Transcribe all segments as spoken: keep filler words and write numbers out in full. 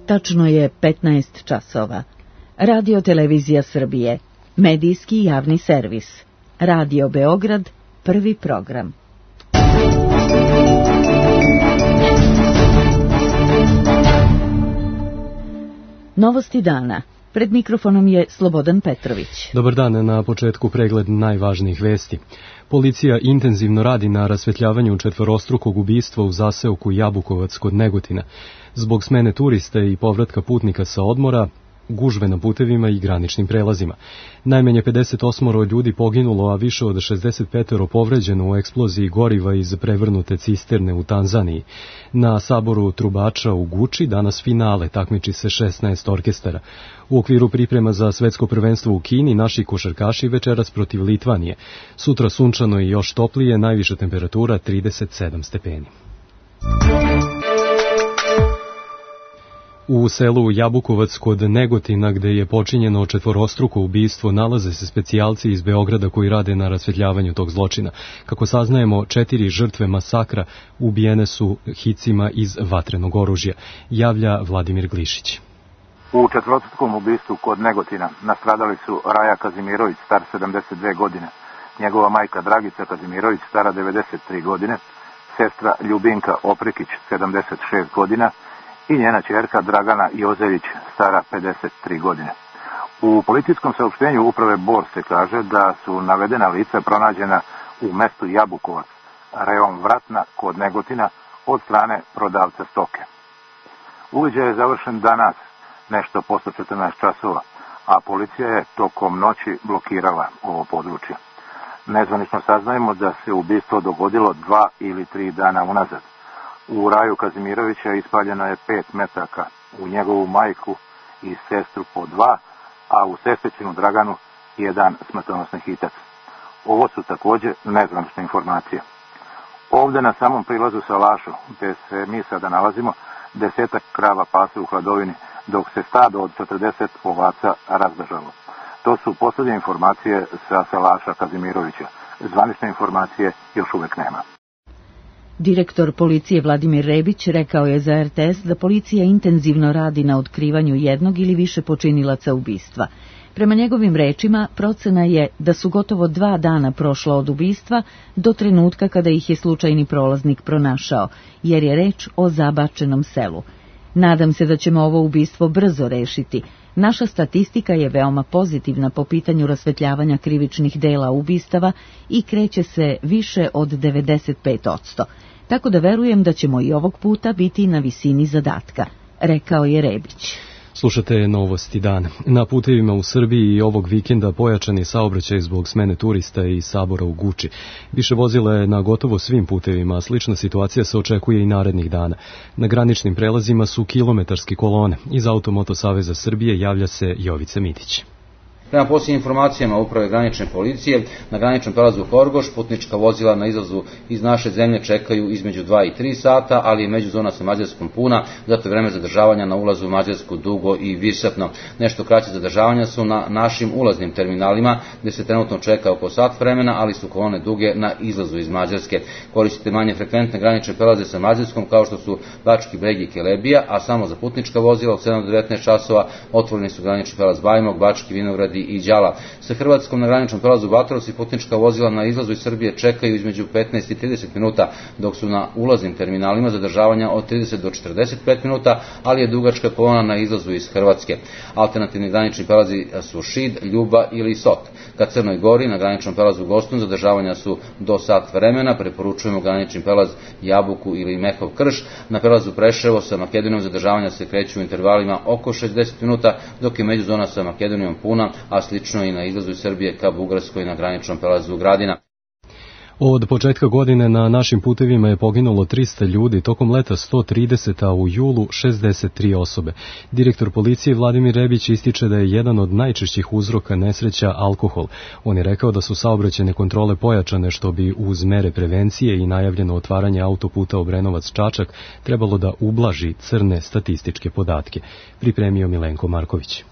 Tačno je petnaest časova. Radio Televizija Srbije, medijski javni servis. Radio Beograd, prvi program. Novosti dana. Pred mikrofonom je Slobodan Petrović. Dobar dan, na početku pregled najvažnijih vesti. Policija intenzivno radi na rasvetljavanju četvorostrukog ubistva u zaseoku Jabukovac kod Negotina. Zbog smene turista i povratka putnika sa odmora, gužve na putevima i graničnim prelazima. Najmanje pedeset osam ljudi poginulo, a više od šezdeset pet povređeno u eksploziji goriva iz prevrnute cisterne u Tanzaniji. Na saboru trubača u Guči danas finale, takmiči se šesnaest orkestara. U okviru priprema za svetsko prvenstvo u Kini naši košarkaši večeras protiv Litvanije. Sutra sunčano i još toplije, najviša temperatura trideset sedam stepeni. U selu Jabukovac kod Negotina, gde je počinjeno četvorostruko ubistvo, nalaze se specijalci iz Beograda koji rade na rasvetljavanju tog zločina. Kako saznajemo, četiri žrtve masakra ubijene su hicima iz vatrenog oružja, javlja Vladimir Glišić. U četvorostrukom ubistvu kod Negotina nastradali su Raja Kazimirović, star sedamdeset dve godine, njegova majka Dragica Kazimirović, stara devedeset tri godine, sestra Ljubinka Oprekić, sedamdeset šest godina, i njena ćerka Dragana Jozević, stara pedeset tri godine. U policijskom saopštenju uprave Bor se kaže da su navedena lica pronađena u mestu Jabukovac, rejon Vratna kod Negotina, od strane prodavca stoke. Uviđaj je završen danas, nešto posle četrnaest časova, a policija je tokom noći blokirala ovo područje. Nezvanično saznajemo da se ubistvo dogodilo dva ili tri dana unazad. U Raju Kazimirovića ispaljeno je pet metaka, u njegovu majku i sestru po dva, a u sestričinu Draganu jedan smrtonosni hitac. Ovo su također nezvanične informacije. Ovdje na samom prilazu Salašu, gdje se mi sada nalazimo, desetak krava pase u hladovini, dok se stado od četrdeset ovaca razbežalo. To su posljednje informacije sa Salaša Kazimirovića. Zvanične informacije još uvijek nema. Direktor policije Vladimir Rebić rekao je za er te es da policija intenzivno radi na otkrivanju jednog ili više počinilaca ubistva. Prema njegovim rečima, procena je da su gotovo dva dana prošla od ubistva do trenutka kada ih je slučajni prolaznik pronašao, jer je reč o zabačenom selu. Nadam se da ćemo ovo ubistvo brzo rešiti. Naša statistika je veoma pozitivna po pitanju rasvetljavanja krivičnih dela ubistava i kreće se više od devedeset pet posto. Tako da verujem da ćemo i ovog puta biti na visini zadatka, rekao je Rebić. Slušate Novosti dan. Na putevima u Srbiji i ovog vikenda pojačan je saobraćaj zbog smene turista i sabora u Guči. Više vozila je na gotovo svim putevima, a slična situacija se očekuje i narednih dana. Na graničnim prelazima su kilometarske kolone. Iz Automoto Saveza Srbije javlja se Jovica Mitić. Prema posljednjim informacijama uprave granične policije, na graničnom prelazu Horgoš putnička vozila na izlazu iz naše zemlje čekaju između dva i tri sata, ali je međuzona sa Mađarskom puna, zato je vreme zadržavanja na ulazu u Mađarsku dugo i višesatno. Nešto kraće zadržavanja su na našim ulaznim terminalima, gdje se trenutno čeka oko sat vremena, ali su kolone duge na izlazu iz Mađarske. Koristite manje frekventne granične prelaze sa Mađarskom, kao što su Bački Breg i Kelebija, a samo za putnička vozila od sedam do devetnaest časova otvoreni su granični prelaz Bajmog, Bački Vinogradi i Đala. Sa Hrvatskom na graničnom prelazu Batros i putnička vozila na izlazu iz Srbije čekaju između petnaest i trideset minuta, dok su na ulaznim terminalima zadržavanja od trideset do četrdeset pet minuta, ali je dugačka kolona na izlazu iz Hrvatske. Alternativni granični prelazi su Šid, Ljuba ili Sot. Ka Crnoj Gori na graničnom prelazu Gostun zadržavanja su do sat vremena, preporučujemo granični prelaz Jabuku ili Mehov Krš. Na prelazu Preševo sa Makedonijom zadržavanja se kreću u intervalima oko šezdeset minuta, dok je međuzona sa Makedonijom puna, a slično i na izlazu iz Srbije ka Bugarskoj na graničnom prelazu Gradina. Od početka godine na našim putevima je poginulo trista ljudi, tokom leta sto trideset, a u julu šezdeset tri osobe. Direktor policije Vladimir Rebić ističe da je jedan od najčešćih uzroka nesreća alkohol. On je rekao da su saobraćajne kontrole pojačane, što bi uz mere prevencije i najavljeno otvaranje autoputa Obrenovac-Čačak trebalo da ublaži crne statističke podatke. Pripremio Milenko Marković.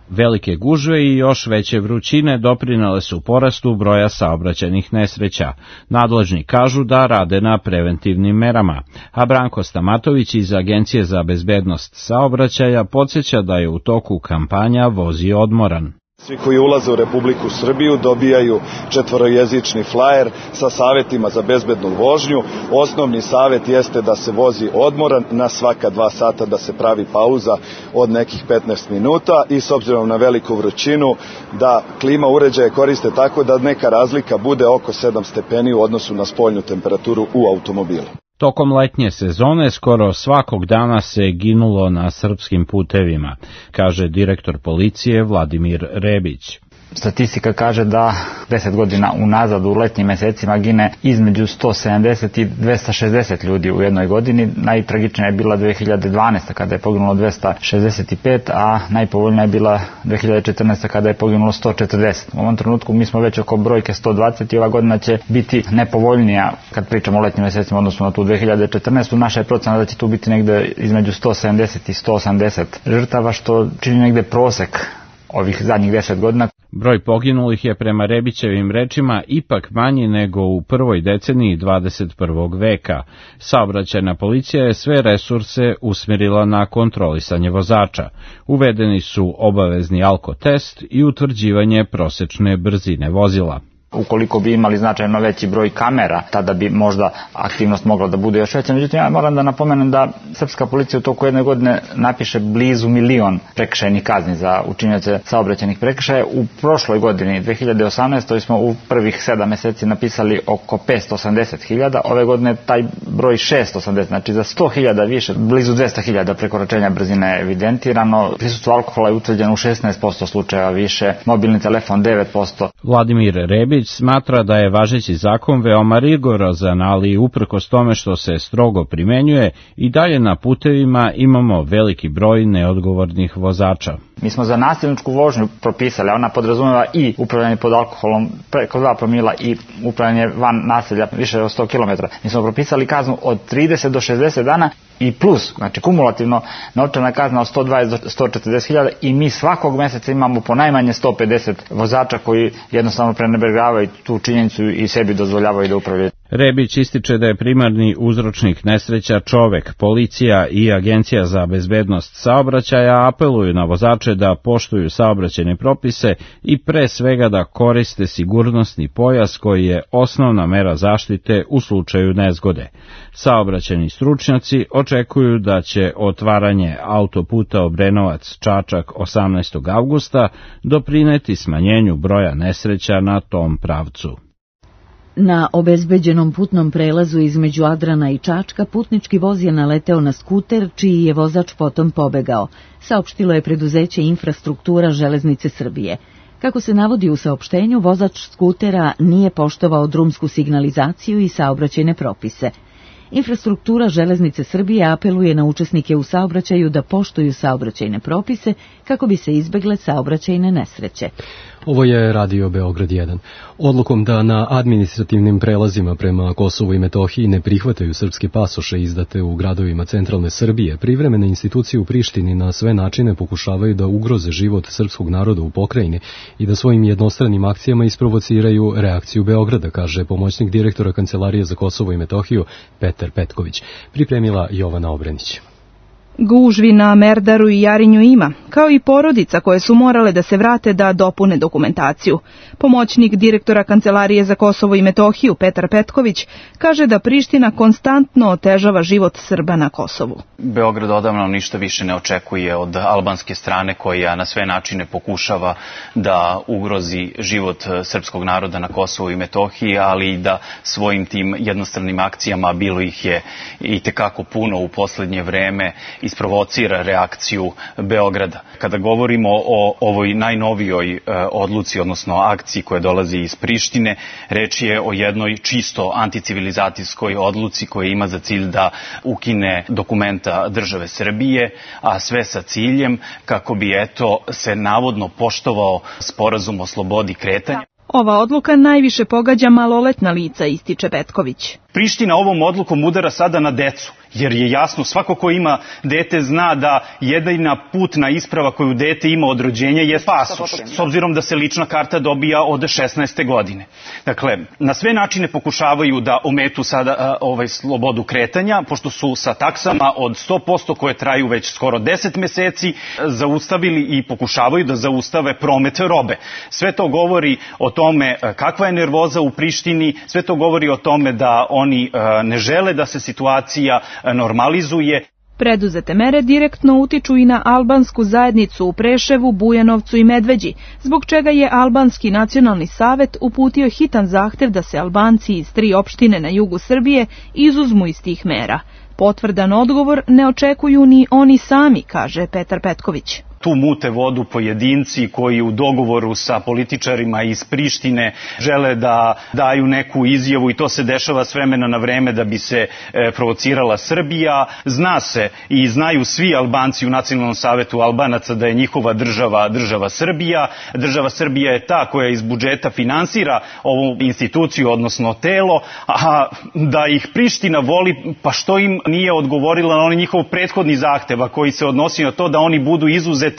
Velike gužve i još veće vrućine doprinele su porastu broja saobraćajnih nesreća. Nadležni kažu da rade na preventivnim merama, a Branko Stamatović iz Agencije za bezbednost saobraćaja podsjeća da je u toku kampanja Vozi odmoran. Svi koji ulaze u Republiku Srbiju dobijaju četvorojezični flajer sa savjetima za bezbednu vožnju. Osnovni savjet jeste da se vozi odmoran, na svaka dva sata da se pravi pauza od nekih petnaest minuta i s obzirom na veliku vrućinu da klima uređaje koriste tako da neka razlika bude oko sedam stepeni u odnosu na spoljnu temperaturu u automobilu. Tokom letnje sezone skoro svakog dana se ginulo na srpskim putevima, kaže direktor policije Vladimir Rebić. Statistika kaže da deset godina unazad u letnjim mesecima gine između sto sedamdeset i dvesta šezdeset ljudi u jednoj godini. Najtragičnija je bila dve hiljade dvanaeste. kada je poginulo dvesta šezdeset pet, a najpovoljnija je bila dve hiljade četrnaeste. kada je poginulo sto četrdeset. U ovom trenutku mi smo već oko brojke sto dvadeset i ova godina će biti nepovoljnija kad pričamo o letnjim mesecima odnosno na tu dve hiljade četrnaestu. Naša je procena da će tu biti negde između sto sedamdeset i sto osamdeset žrtava, što čini negde prosek ovih zadnjih deset godina. Broj poginulih je prema Rebićevim rečima ipak manji nego u prvoj deceniji dvadeset prvog veka. Saobraćajna policija je sve resurse usmjerila na kontrolisanje vozača. Uvedeni su obavezni alkotest i utvrđivanje prosečne brzine vozila. Ukoliko bi imali značajno veći broj kamera, tada bi možda aktivnost mogla da bude još veća. Međutim, ja moram da napomenem da srpska policija u toku jedne godine napiše blizu milion prekršajnih kazni za učinioce saobraćajnih prekršaja. U prošloj godini, dve hiljade osamnaestoj. smo u prvih sedam meseci napisali oko petsto osamdeset hiljada. Ove godine taj broj šesto osamdeset, znači za sto hiljada više, blizu dvesta hiljada prekoračenja brzine je evidentirano. Prisustvo alkohola je utvrđeno u šesnaest posto slučajeva više, mobilni telefon devet posto. Vladimir Rebić smatra da je važeći zakon veoma rigorozan, ali uprkos tome što se strogo primenjuje, i dalje na putevima imamo veliki broj neodgovornih vozača. Mi smo za nasilničku vožnju propisali, ona podrazumeva i upravljanje pod alkoholom preko dva promila i upravljanje van naselja više od sto kilometara. Mi smo propisali kaznu od trideset do šezdeset dana i plus, znači kumulativno novčana kazna od sto dvadeset do sto četrdeset hiljada i mi svakog meseca imamo po najmanje sto pedeset vozača koji jednostavno prenebregavaju tu činjenicu i sebi dozvoljavaju da upravljaju. Rebić ističe da je primarni uzročnik nesreća čovek. Policija i Agencija za bezbednost saobraćaja apeluju na vozače da poštuju saobraćajne propise i pre svega da koriste sigurnosni pojas koji je osnovna mera zaštite u slučaju nezgode. Saobraćajni stručnjaci očekuju da će otvaranje autoputa Obrenovac-Čačak osamnaestog avgusta doprineti smanjenju broja nesreća na tom pravcu. Na obezbeđenom putnom prelazu između Adrana i Čačka putnički voz je naleteo na skuter, čiji je vozač potom pobegao, saopštilo je preduzeće Infrastruktura Železnice Srbije. Kako se navodi u saopštenju, vozač skutera nije poštovao drumsku signalizaciju i saobraćajne propise. Infrastruktura Železnice Srbije apeluje na učesnike u saobraćaju da poštuju saobraćajne propise kako bi se izbegle saobraćajne nesreće. Ovo je Radio Beograd jedan. Odlukom da na administrativnim prelazima prema Kosovu i Metohiji ne prihvataju srpske pasoše izdate u gradovima centralne Srbije, privremene institucije u Prištini na sve načine pokušavaju da ugroze život srpskog naroda u pokrajini i da svojim jednostranim akcijama isprovociraju reakciju Beograda, kaže pomoćnik direktora Kancelarije za Kosovo i Metohiju Petar Petković. Pripremila Jovana Obrenić. Gužvi na Merdaru i Jarinju ima, kao i porodica koje su morale da se vrate da dopune dokumentaciju. Pomoćnik direktora Kancelarije za Kosovo i Metohiju Petar Petković kaže da Priština konstantno otežava život Srba na Kosovu. Beograd odavno ništa više ne očekuje od albanske strane koja na sve načine pokušava da ugrozi život srpskog naroda na Kosovu i Metohiji, ali i da svojim tim jednostranim akcijama, bilo ih je i tekako puno u poslednje vreme, isprovocira reakciju Beograda. Kada govorimo o ovoj najnovijoj e, odluci, odnosno akciji koja dolazi iz Prištine, reč je o jednoj čisto anticivilizacijskoj odluci koja ima za cilj da ukine dokumenta države Srbije, a sve sa ciljem kako bi eto se navodno poštovao sporazum o slobodi kretanja. Ova odluka najviše pogađa maloletna lica, ističe Petković. Priština ovom odlukom udara sada na decu, Jer je jasno, svako ko ima dete zna da jedina putna isprava koju dete ima od rođenja je pasoš, s obzirom da se lična karta dobija od šesnaeste godine. Dakle, na sve načine pokušavaju da ometu sada ovaj, slobodu kretanja, pošto su sa taksama od sto posto koje traju već skoro deset meseci zaustavili i pokušavaju da zaustave promet robe. Sve to govori o tome kakva je nervoza u Prištini, sve to govori o tome da oni ne žele da se situacija normalizuje. Preduzete mere direktno utiču i na albansku zajednicu u Preševu, Bujanovcu i Medveđi, zbog čega je Albanski nacionalni savet uputio hitan zahtev da se Albanci iz tri opštine na jugu Srbije izuzmu iz tih mera. Potvrdan odgovor ne očekuju ni oni sami, kaže Petar Petković. Tu mute vodu pojedinci koji u dogovoru sa političarima iz Prištine žele da daju neku izjavu i to se dešava s vremena na vreme da bi se e, provocirala Srbija. Zna se i znaju svi Albanci u Nacionalnom savetu Albanaca da je njihova država država Srbija. Država Srbija je ta koja iz budžeta finansira ovu instituciju, odnosno telo, a da ih Priština voli, pa što im nije odgovorila na onaj njihov prethodni zahtev, a koji se odnosi na to da oni budu izuzeti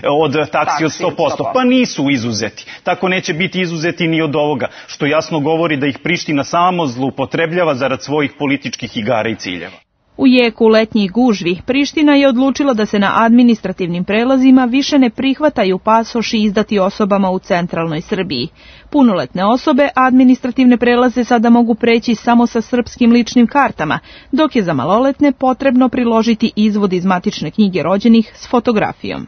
od taksi od sto posto. Pa nisu izuzeti. Tako neće biti izuzeti ni od ovoga, što jasno govori da ih Priština samo zloupotrebljava zarad svojih političkih igara i ciljeva. U jeku letnjih gužvi, Priština je odlučila da se na administrativnim prelazima više ne prihvataju pasoši izdati osobama u centralnoj Srbiji. Punoletne osobe administrativne prelaze sada mogu preći samo sa srpskim ličnim kartama, dok je za maloletne potrebno priložiti izvod iz matične knjige rođenih s fotografijom.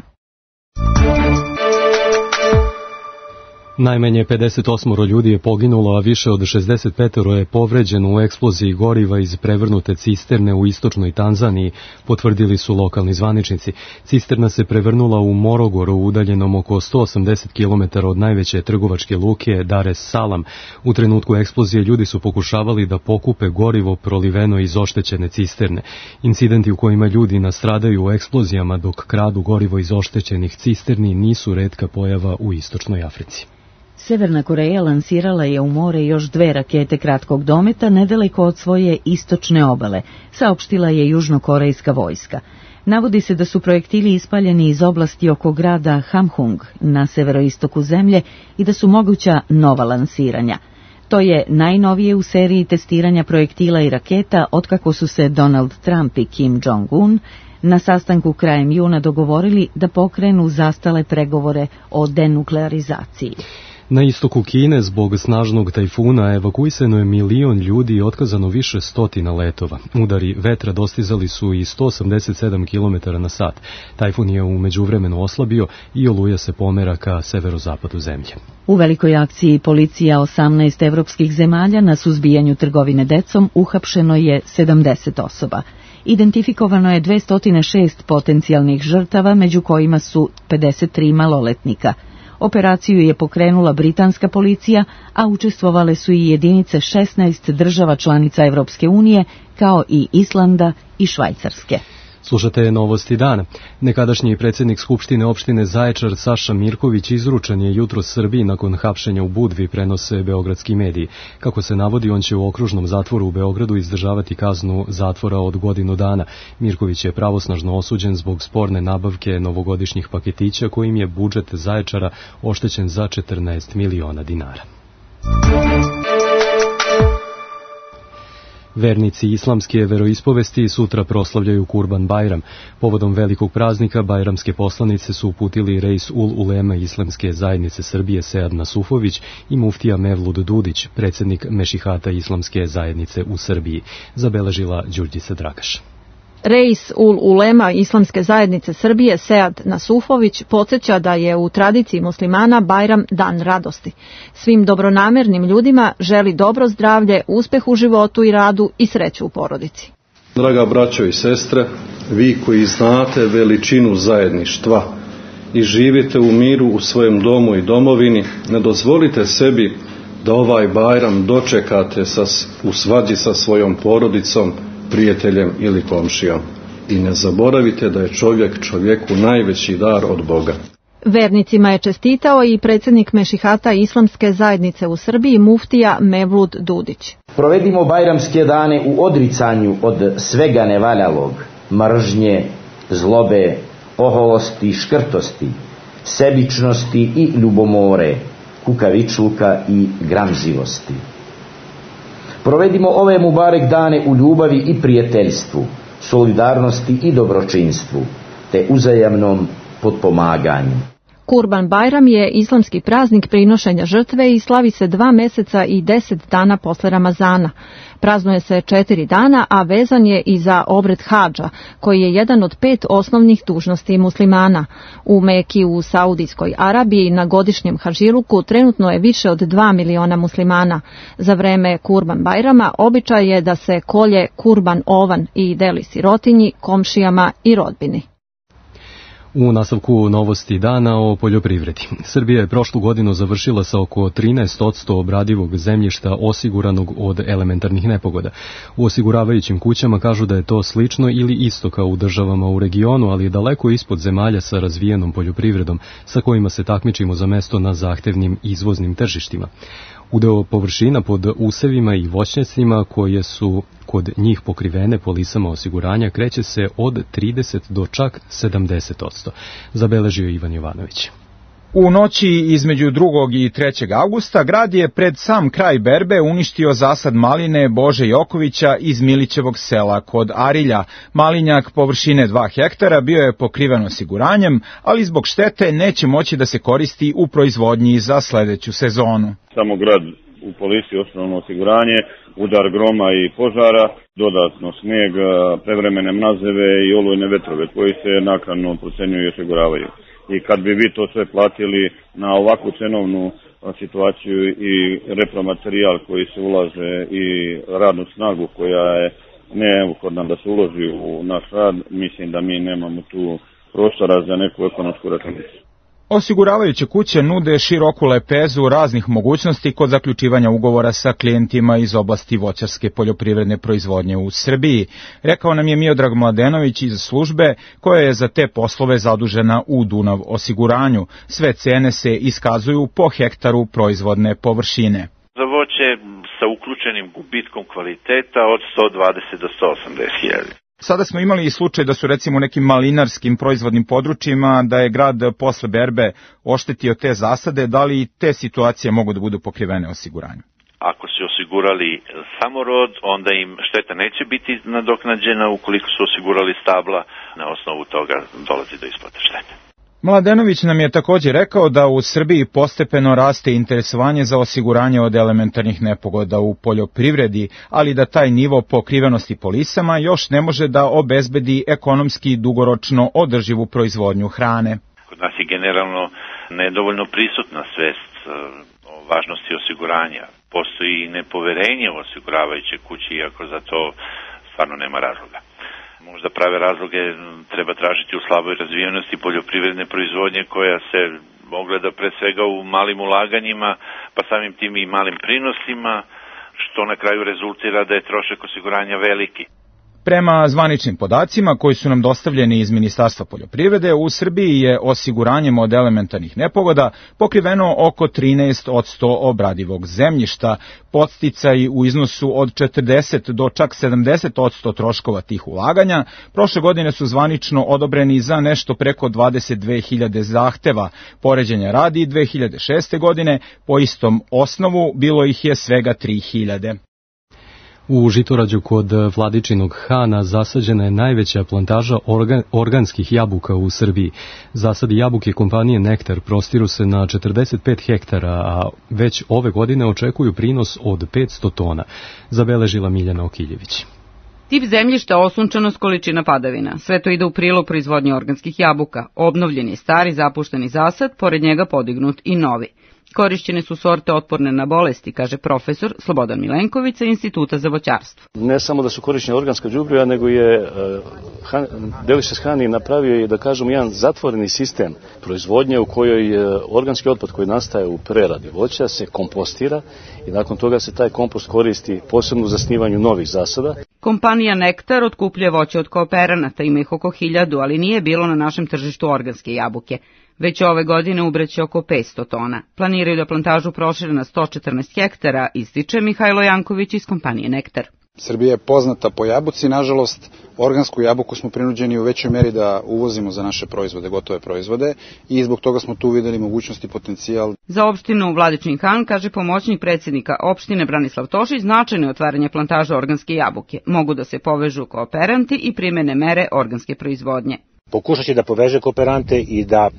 Najmanje pedeset osam ljudi je poginulo, a više od šezdeset pet je povređeno u eksploziji goriva iz prevrnute cisterne u istočnoj Tanzaniji, potvrdili su lokalni zvaničnici. Cisterna se prevrnula u Morogoru, udaljenom oko sto osamdeset kilometara od najveće trgovačke luke Dar es Salam. U trenutku eksplozije ljudi su pokušavali da pokupe gorivo proliveno iz oštećene cisterne. Incidenti u kojima ljudi nastradaju u eksplozijama dok kradu gorivo iz oštećenih cisterni nisu retka pojava u istočnoj Africi. Severna Koreja lansirala je u more još dve rakete kratkog dometa nedaleko od svoje istočne obale, saopštila je južnokorejska vojska. Navodi se da su projektili ispaljeni iz oblasti oko grada Hamhung na severoistoku zemlje i da su moguća nova lansiranja. To je najnovije u seriji testiranja projektila i raketa otkako su se Donald Trump i Kim Jong-un na sastanku krajem juna dogovorili da pokrenu zastale pregovore o denuklearizaciji. Na istoku Kine zbog snažnog tajfuna evakuisano je milion ljudi i otkazano više stotina letova. Udari vetra dostizali su i sto osamdeset sedam kilometara na sat. Tajfun je u međuvremenu oslabio i oluja se pomera ka severozapadu zemlje. U velikoj akciji policija osamnaest evropskih zemalja na suzbijanju trgovine decom uhapšeno je sedamdeset osoba. Identifikovano je dvesta šest potencijalnih žrtava, među kojima su pedeset tri maloletnika. Operaciju je pokrenula britanska policija, a učestvovale su i jedinice šesnaest država članica Evropske unije, kao i Islanda i Švajcarske. Slušate novosti dana. Nekadašnji predsjednik Skupštine opštine Zaječar Saša Mirković izručen je jutros Srbiji nakon hapšenja u Budvi, prenose beogradski mediji. Kako se navodi, on će u okružnom zatvoru u Beogradu izdržavati kaznu zatvora od godinu dana. Mirković je pravosnažno osuđen zbog sporne nabavke novogodišnjih paketića kojim je budžet Zaječara oštećen za četrnaest miliona dinara. Vernici islamske veroispovesti sutra proslavljaju Kurban Bajram. Povodom velikog praznika bajramske poslanice su uputili Reis ul Ulema Islamske zajednice Srbije Sead Nasufović i muftija Mevlud Dudić, predsjednik Mešihata Islamske zajednice u Srbiji, zabeležila Đurđica Dragaš. Reis ul Ulema Islamske zajednice Srbije Sead Nasufović podsjeća da je u tradiciji muslimana Bajram dan radosti. Svim dobronamernim ljudima želi dobro zdravlje, uspeh u životu i radu i sreću u porodici. Draga braćo i sestre, vi koji znate veličinu zajedništva i živite u miru u svojem domu i domovini, ne dozvolite sebi da ovaj Bajram dočekate sa, u svađi sa svojom porodicom, prijateljem ili komšijom. I ne zaboravite da je čovjek čovjeku najveći dar od Boga. Vernicima je čestitao i predsjednik Mešihata Islamske zajednice u Srbiji muftija Mevlud Dudić. Provedimo bajramske dane u odricanju od svega nevaljalog, mržnje, zlobe, oholosti, škrtosti, sebičnosti i ljubomore, kukavičluka i gramzivosti. Provedimo ove mubarek dane u ljubavi i prijateljstvu, solidarnosti i dobročinstvu, te uzajamnom potpomaganju. Kurban Bajram je islamski praznik prinošenja žrtve i slavi se dva meseca i deset dana posle Ramazana. Praznuje se četiri dana, a vezan je i za obred hadža, koji je jedan od pet osnovnih dužnosti muslimana. U Meki u Saudijskoj Arabiji na godišnjem hadžiluku trenutno je više od dva miliona muslimana. Za vreme Kurban Bajrama običaj je da se kolje kurban ovan i deli sirotinji, komšijama i rodbini. U nastavku novosti dana o poljoprivredi. Srbija je prošlu godinu završila sa oko trinaest posto obradivog zemljišta osiguranog od elementarnih nepogoda. U osiguravajućim kućama kažu da je to slično ili isto kao u državama u regionu, ali je daleko ispod zemalja sa razvijenom poljoprivredom, sa kojima se takmičimo za mesto na zahtevnim izvoznim tržištima. Udeo površina pod usevima i voćnjacima koje su kod njih pokrivene polisama osiguranja kreće se od trideset do čak sedamdeset posto, zabeležio Ivan Jovanović. U noći između drugog i trećeg avgusta grad je pred sam kraj berbe uništio zasad maline Bože Jokovića iz Milićevog sela kod Arilja. Malinjak površine dva hektara bio je pokriven osiguranjem, ali zbog štete neće moći da se koristi u proizvodnji za sledeću sezonu. Samo grad u polisi osnovno osiguranje, udar groma i požara, dodatno snijeg, prevremene mrazeve i olujne vetrove koji se naknadno procenjuju i osiguravaju. I kad bi vi to sve platili na ovakvu cenovnu situaciju i repromaterijal koji se ulaže i radnu snagu koja je neophodna da se uloži u naš rad, mislim da mi nemamo tu prostora za neku ekonomsku računicu. Osiguravajuće kuće nude široku lepezu raznih mogućnosti kod zaključivanja ugovora sa klijentima iz oblasti voćarske poljoprivredne proizvodnje u Srbiji, rekao nam je Miodrag Mladenović iz službe koja je za te poslove zadužena u Dunav osiguranju. Sve cene se iskazuju po hektaru proizvodne površine. Za voće sa uključenim gubitkom kvaliteta od sto dvadeset do sto osamdeset hiljada. Sada smo imali i slučaj da su recimo u nekim malinarskim proizvodnim područjima da je grad posle berbe oštetio te zasade, da li te situacije mogu da budu pokrivene osiguranjem? Ako su osigurali samorod, onda im šteta neće biti nadoknađena, ukoliko su osigurali stabla, na osnovu toga dolazi do isplate štete. Mladenović nam je također rekao da u Srbiji postepeno raste interesovanje za osiguranje od elementarnih nepogoda u poljoprivredi, ali da taj nivo pokrivenosti polisama još ne može da obezbedi ekonomski dugoročno održivu proizvodnju hrane. Kod nas je generalno nedovoljno prisutna svest o važnosti osiguranja. Postoji nepoverenje u osiguravajuće kući, iako za to stvarno nema razloga. Možda prave razloge treba tražiti u slaboj razvijenosti poljoprivredne proizvodnje koja se ogleda pre svega u malim ulaganjima, pa samim tim i malim prinosima, što na kraju rezultira da je trošak osiguranja veliki. Prema zvaničnim podacima koji su nam dostavljeni iz Ministarstva poljoprivrede, u Srbiji je osiguranjem od elementarnih nepogoda pokriveno oko trinaest posto obradivog zemljišta. Podsticaji u iznosu od četrdeset do čak sedamdeset posto troškova tih ulaganja prošle godine su zvanično odobreni za nešto preko dvadeset dve hiljade zahteva. Poređenja radi dve hiljade šeste. godine po istom osnovu bilo ih je svega tri hiljade. U Žitorađu kod Vladičinog Hana zasađena je najveća plantaža organ, organskih jabuka u Srbiji. Zasadi jabuke kompanije Nektar prostiru se na četrdeset pet hektara, a već ove godine očekuju prinos od petsto tona, zabeležila Miljana Okiljević. Tip zemljišta, osunčanost, količina padavina. Sve to ide u prilog proizvodnje organskih jabuka. Obnovljen je stari zapušteni zasad, pored njega podignut i novi. Korišćene su sorte otporne na bolesti, kaže profesor Slobodan Milenković sa Instituta za voćarstvo. Ne samo da su korišćene organska đubriva, nego je uh, Delicious Honey napravio i, da kažem, jedan zatvoreni sistem proizvodnje u kojoj uh, organski otpad koji nastaje u preradi voća se kompostira i nakon toga se taj kompost koristi posebno u zasnivanju novih zasada. Kompanija Nektar otkupljuje voće od kooperanata, ima ih oko hiljadu, ali nije bilo na našem tržištu organske jabuke. Već ove godine ubreće oko petsto tona. Planiraju da plantažu prošire na sto četrnaest hektara, ističe Mihajlo Janković iz kompanije Nektar. Srbija je poznata po jabuci, nažalost, organsku jabuku smo prinuđeni u većoj meri da uvozimo za naše proizvode, gotove proizvode, i zbog toga smo tu videli mogućnost i potencijal. Za opštinu Vladičin Han, kaže pomoćnik predsjednika opštine Branislav Tošić, značajno je otvaranje plantaža organske jabuke. Mogu da se povežu kooperanti i primene mere organske proizvodnje. Pokušat će da poveže kooperante i da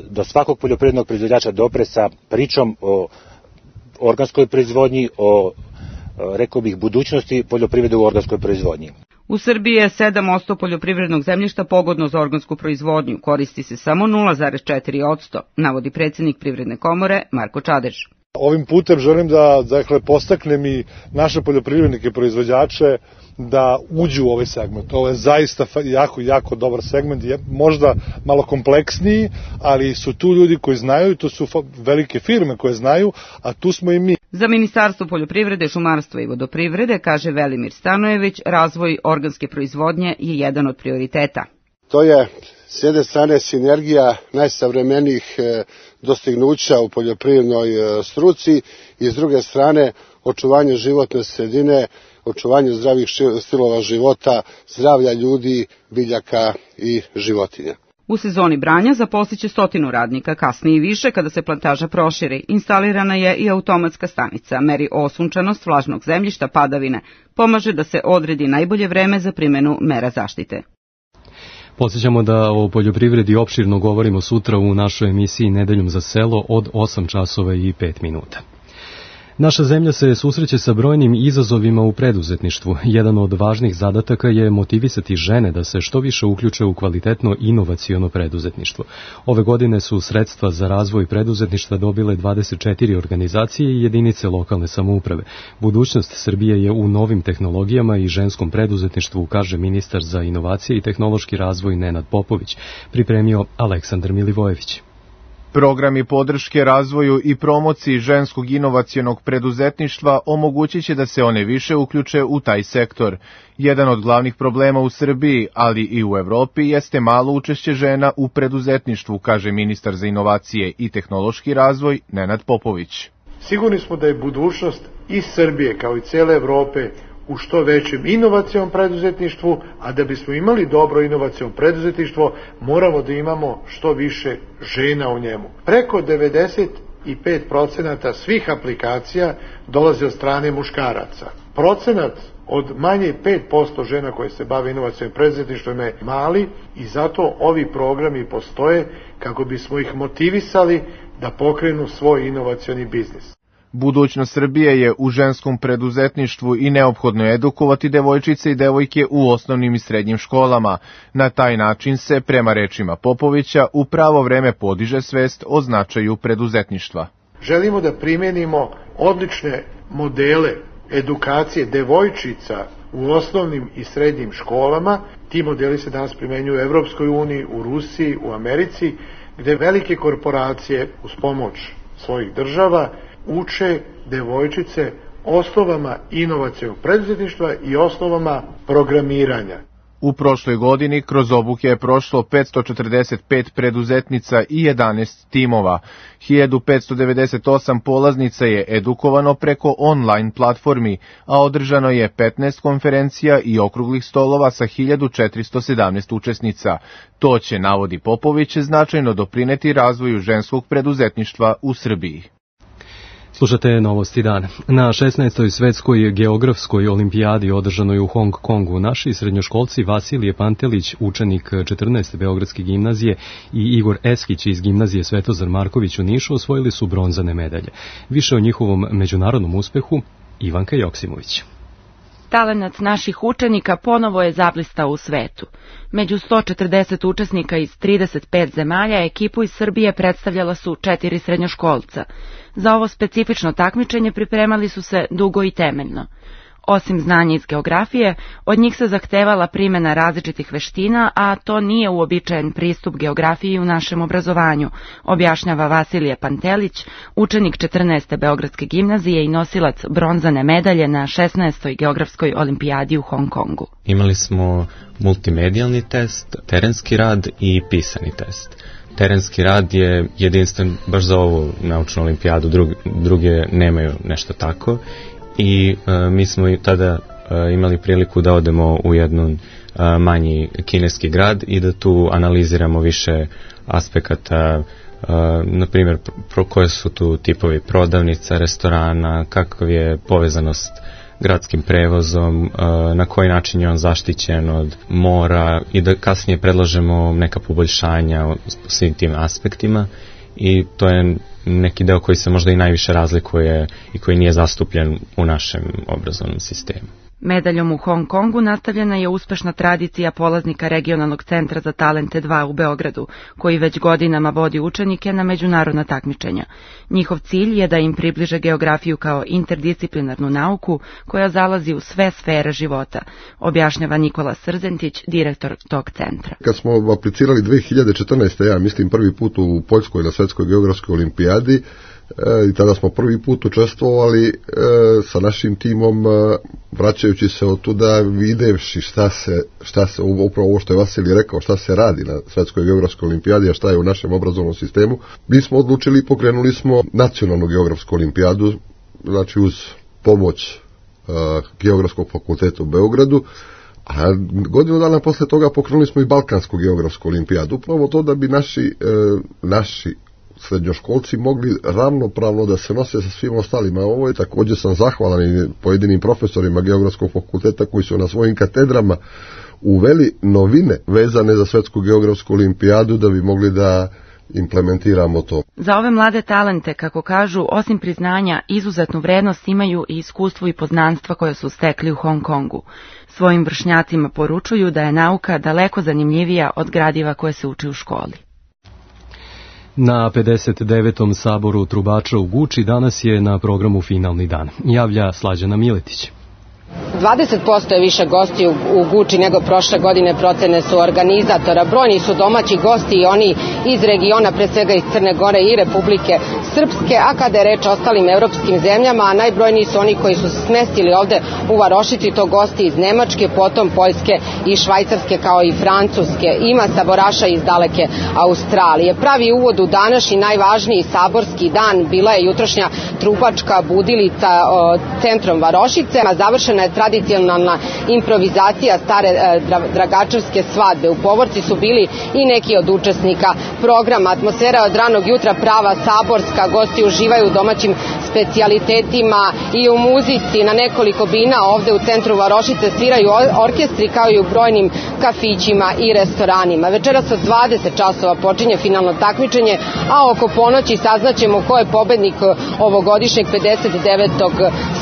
do svakog poljoprivrednog proizvođača dopre sa pričom o organskoj proizvodnji, o, rekao bih, budućnosti poljoprivrede u organskoj proizvodnji. U Srbiji je sedam posto poljoprivrednog zemljišta pogodno za organsku proizvodnju, koristi se samo nula zarez četiri posto, navodi predsjednik Privredne komore Marko Čadež. Ovim putem želim da dakle, postaknem i naše poljoprivrednike proizvođače da uđu u ovaj segment. Ovo je zaista jako, jako dobar segment, je možda malo kompleksniji, ali su tu ljudi koji znaju i to su velike firme koje znaju, a tu smo i mi. Za Ministarstvo poljoprivrede, šumarstva i vodoprivrede, kaže Velimir Stanojević, razvoj organske proizvodnje je jedan od prioriteta. To je s jedne strane sinergija najsavremenijih dostignuća u poljoprivrednoj struci i s druge strane očuvanje životne sredine, očuvanje zdravih stilova života, zdravlja ljudi, biljaka i životinja. U sezoni branja zaposliće stotinu radnika, kasnije i više kada se plantaža proširi. Instalirana je i automatska stanica, meri osunčanost vlažnog zemljišta, padavine, pomaže da se odredi najbolje vreme za primjenu mera zaštite. Podsjećamo da o poljoprivredi opširno govorimo sutra u našoj emisiji Nedeljom za selo od osam časova i pet minuta. Naša zemlja se susreće sa brojnim izazovima u preduzetništvu. Jedan od važnih zadataka je motivisati žene da se što više uključe u kvalitetno inovaciono preduzetništvo. Ove godine su sredstva za razvoj preduzetništva dobile dvadeset četiri organizacije i jedinice lokalne samouprave. Budućnost Srbije je u novim tehnologijama i ženskom preduzetništvu, kaže ministar za inovacije i tehnološki razvoj Nenad Popović, pripremio Aleksandar Milivojević. Programi podrške razvoju i promociji ženskog inovacionog preduzetništva omogućit će da se one više uključe u taj sektor. Jedan od glavnih problema u Srbiji, ali i u Evropi, jeste malo učešće žena u preduzetništvu, kaže ministar za inovacije i tehnološki razvoj Nenad Popović. Sigurni smo da je budućnost i Srbije kao i cele Evrope u što većem inovacionom preduzetništvu, a da bismo imali dobro inovaciono preduzetništvo, moramo da imamo što više žena u njemu. Preko devedeset pet procenata svih aplikacija dolazi od strane muškaraca. Procenat od manje pet posto žena koje se bave inovacionim preduzetništvom je mali i zato ovi programi postoje kako bismo ih motivisali da pokrenu svoj inovacioni biznis. Budućnost Srbije je u ženskom preduzetništvu i neophodno je edukovati devojčice i devojke u osnovnim i srednjim školama. Na taj način se, prema rečima Popovića, u pravo vreme podiže svest o značaju preduzetništva. Želimo da primjenimo odlične modele edukacije devojčica u osnovnim i srednjim školama. Ti modeli se danas primenjuju u Evropskoj uniji, u Rusiji, u Americi, gde velike korporacije uz pomoć svojih država uče devojčice osnovama inovacionog preduzetništva i osnovama programiranja. U prošloj godini kroz obuke je prošlo petsto četrdeset pet preduzetnica i jedanaest timova. hiljadu petsto devedeset osam polaznica je edukovano preko online platformi, a održano je petnaest konferencija i okruglih stolova sa hiljadu četiristo sedamnaest učesnica. To će, navodi Popović, značajno doprineti razvoju ženskog preduzetništva u Srbiji. Slušate novosti dana. Na šesnaestoj svetskoj geografskoj olimpijadi održanoj u Hong Kongu naši srednjoškolci Vasilije Pantelić, učenik četrnaeste Beogradske gimnazije, i Igor Eskić iz gimnazije Svetozar Marković u Nišu osvojili su bronzane medalje. Više o njihovom međunarodnom uspehu Ivanka Joksimović. Talenat naših učenika ponovo je zablistao u svetu. Među sto četrdeset učesnika iz trideset pet zemalja ekipu iz Srbije predstavljala su četiri srednjoškolca. Za ovo specifično takmičenje pripremali su se dugo i temeljno. Osim znanja iz geografije, od njih se zahtevala primjena različitih veština, a to nije uobičajen pristup geografiji u našem obrazovanju, objašnjava Vasilije Pantelić, učenik četrnaeste Beogradske gimnazije i nosilac bronzane medalje na šesnaestoj geografskoj olimpijadi u Hong Kongu. Imali smo multimedijalni test, terenski rad i pisani test. Terenski rad je jedinstven baš za ovu naučnu olimpijadu, druge, druge nemaju nešto tako. I e, mi smo tada e, imali priliku da odemo u jednu e, manji kineski grad i da tu analiziramo više aspekata, e, na primjer pro, koje su tu tipovi prodavnica, restorana, kakva je povezanost gradskim prevozom, e, na koji način je on zaštićen od mora i da kasnije predlažemo neka poboljšanja u svim tim aspektima. I to je neki deo koji se možda i najviše razlikuje i koji nije zastupljen u našem obrazovnom sistemu. Medaljom u Hong Kongu nastavljena je uspešna tradicija polaznika regionalnog centra za talente dva u Beogradu, koji već godinama vodi učenike na međunarodna takmičenja. Njihov cilj je da im približe geografiju kao interdisciplinarnu nauku koja zalazi u sve sfere života, objašnjava Nikola Srzentić, direktor tog centra. Kad smo aplicirali dve hiljade četrnaeste. ja mislim prvi put u Poljskoj na Svetskoj geografskoj olimpijadi, i tada smo prvi put učestvovali e, sa našim timom, e, vraćajući se od tuda, videvši šta se, šta se, upravo ovo što je Vasilij rekao, šta se radi na Svetskoj geografskoj olimpijadi, a šta je u našem obrazovnom sistemu, mi smo odlučili i pokrenuli smo nacionalnu geografsku olimpijadu, znači uz pomoć e, Geografskog fakulteta u Beogradu, a godinu dana posle toga pokrenuli smo i Balkansku geografsku olimpijadu, upravo to da bi naši, e, naši srednjoškolci mogli ravnopravno da se nose sa svim ostalima. Ovo je također sam zahvalan i pojedinim profesorima Geografskog fakulteta koji su na svojim katedrama uveli novine vezane za Svetsku geografsku olimpijadu da bi mogli da implementiramo to. Za ove mlade talente, kako kažu, osim priznanja, izuzetnu vrednost imaju i iskustvo i poznanstva koje su stekli u Hong Kongu. Svojim vršnjacima poručuju da je nauka daleko zanimljivija od gradiva koje se uči u školi. Na pedeset devetom saboru trubača u Guči danas je na programu finalni dan. Javlja Slađana Miletić. dvadeset posto je više gosti u Guči nego prošle godine, procene su organizatora. Brojni su domaći gosti i oni iz regiona, pre svega iz Crne Gore i Republike Srpske, a kada je reč o ostalim evropskim zemljama, a najbrojniji su oni koji su se smestili ovde u Varošici, to gosti iz Nemačke, potom Poljske i Švajcarske kao i Francuske. Ima saboraša iz daleke Australije. Pravi uvod u današnji najvažniji saborski dan bila je jutrošnja trubačka budilica o, centrom Varošice, a završena je tradicionalna improvizacija stare e, dragačevske svadbe. U povorci su bili i neki od učesnika programa. Atmosfera od ranog jutra prava saborska, gosti uživaju u domaćim specijalitetima i u muzici. Na nekoliko bina ovde u centru Varošice sviraju orkestri kao i u brojnim kafićima i restoranima. Večeras od dvadeset časova počinje finalno takmičenje, a oko ponoći saznaćemo ko je pobednik ovogodišnjeg pedeset devetog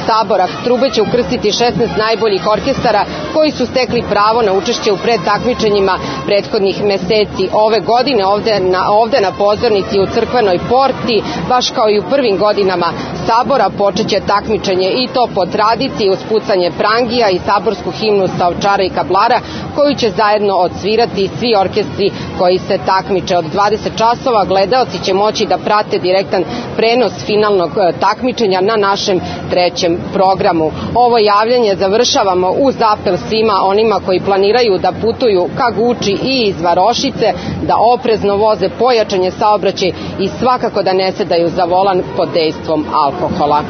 sabora. Trube će ukrstiti šesnaest najboljih orkestara koji su stekli pravo na učešće u predtakmičenjima prethodnih meseci. Ove godine ovde na, ovde na pozornici u crkvenoj porti, baš kao i u prvim godinama sabora, počeće takmičenje i to po tradiciji uz pucanje prangija i saborsku himnu sa Ovčara i Kablara, koju će zajedno odsvirati svi orkestri koji se takmiče. Od dvadeset časova gledaoci će moći da prate direktan prenos finalnog takmičenja na našem trećem programu. Ovo javljanje završavamo uz apel svima onima koji planiraju da putuju ka Guči i iz Varošice, da oprezno voze, pojačanje saobraćaj i svakako da ne sedaju za volan pod dejstvom alkohola.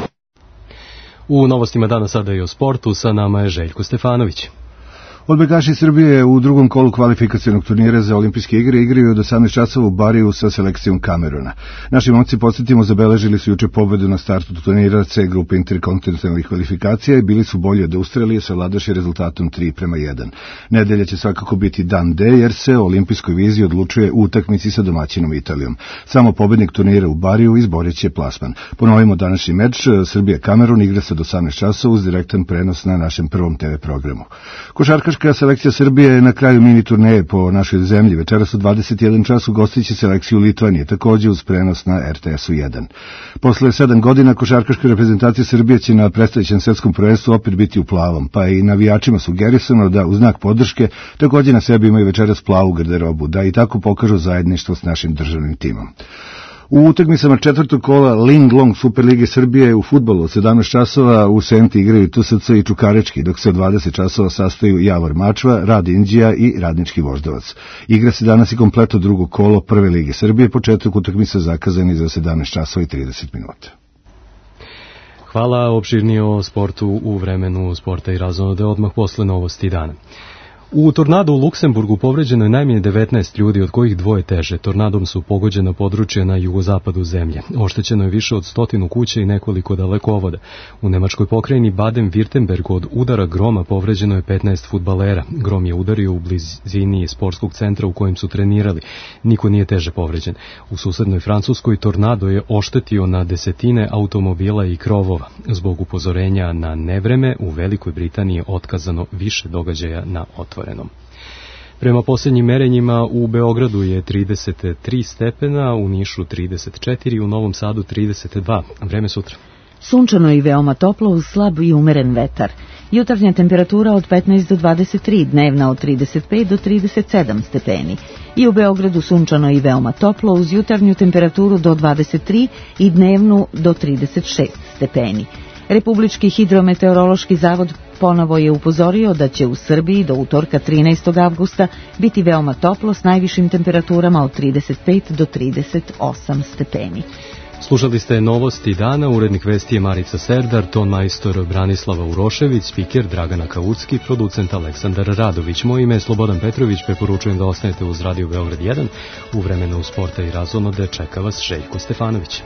U novostima dana sada i o sportu, sa nama je Željko Stefanović. Odbojkaši Srbije u drugom kolu kvalifikacionog turnira za olimpijske igre igraju od osamnaest časova u Bariju sa selekcijom Kameruna. Naši momci, podsjetimo, zabeležili su juče pobedu na startu turnira C grupe interkontinentalnih kvalifikacija i bili su bolji od Australije, savladaši rezultatom tri prema jedan. Nedelja će svakako biti dan D, jer se o olimpijskoj viziji odlučuje u utakmici sa domaćinom Italijom. Samo pobednik turnira u Bariju izborit će plasman. Ponovimo današnji meč, Srbija-Kamerun igra se od osamnaest časova uz direktan prenos na našem prvom te ve programu. Košarkaški Košarkaška selekcija Srbije je na kraju mini turneje po našoj zemlji. Večeras u dvadeset jedan čas ugostiće selekciju Litvanije, takođe uz prenos na er te esu jedan. Posle sedam godina košarkaška reprezentacija Srbije će na predstojećem svetskom prvenstvu opet biti u plavom, pa i navijačima sugerisano da u znak podrške takođe na sebi imaju večeras plavu garderobu, da i tako pokažu zajedništvo s našim državnim timom. U utakmicama četvrtog kola Ling Long Superlige Srbije u fudbalu od sedamnaest časova u Senti igraju te es ce i Čukarički, dok se od dvadeset časova sastaju Javor Mačva, Rad Indija i Radnički Voždovac. Igra se danas i kompletno drugo kolo Prve lige Srbije, početak utakmice zakazani za sedamnaest časova i trideset minuta. Hvala, opširnije o sportu u vremenu sporta i razonode odmah posle novosti dana. U tornadu u Luksemburgu povređeno je najmanje devetnaest ljudi, od kojih dvoje teže. Tornadom su pogođena područja na jugozapadu zemlje. Oštećeno je više od stotinu kuća i nekoliko dalekovoda. U nemačkoj pokrajini Baden-Württemberg od udara groma povređeno je petnaest fudbalera. Grom je udario u blizini sportskog centra u kojem su trenirali. Niko nije teže povređen. U susednoj Francuskoj tornado je oštetio na desetine automobila i krovova. Zbog upozorenja na nevreme u Velikoj Britaniji je otkazano više događaja na otvorenom. Prema posljednjim merenjima u Beogradu je trideset tri stepena, u Nišu trideset četiri, u Novom Sadu trideset dva. Vreme sutra. Sunčano i veoma toplo uz slab i umeren vetar. Jutarnja temperatura od petnaest do dvadeset tri, dnevna od trideset pet do trideset sedam stepeni. I u Beogradu sunčano i veoma toplo uz jutarnju temperaturu do dvadeset tri i dnevnu do trideset šest stepeni. Republički hidrometeorološki zavod ponovo je upozorio da će u Srbiji do utorka trinaestog avgusta biti veoma toplo s najvišim temperaturama od trideset pet do trideset osam stepeni. Slušali ste novosti dana, urednik vesti je Marica Serdar, ton majstor Branislava Urošević, spiker Dragana Kaucki, producent Aleksandar Radović. Moje ime je Slobodan Petrović, preporučujem da ostanete uz Radio Beograd jedan. U vremenu sporta i razonode čeka vas Željko Stefanović.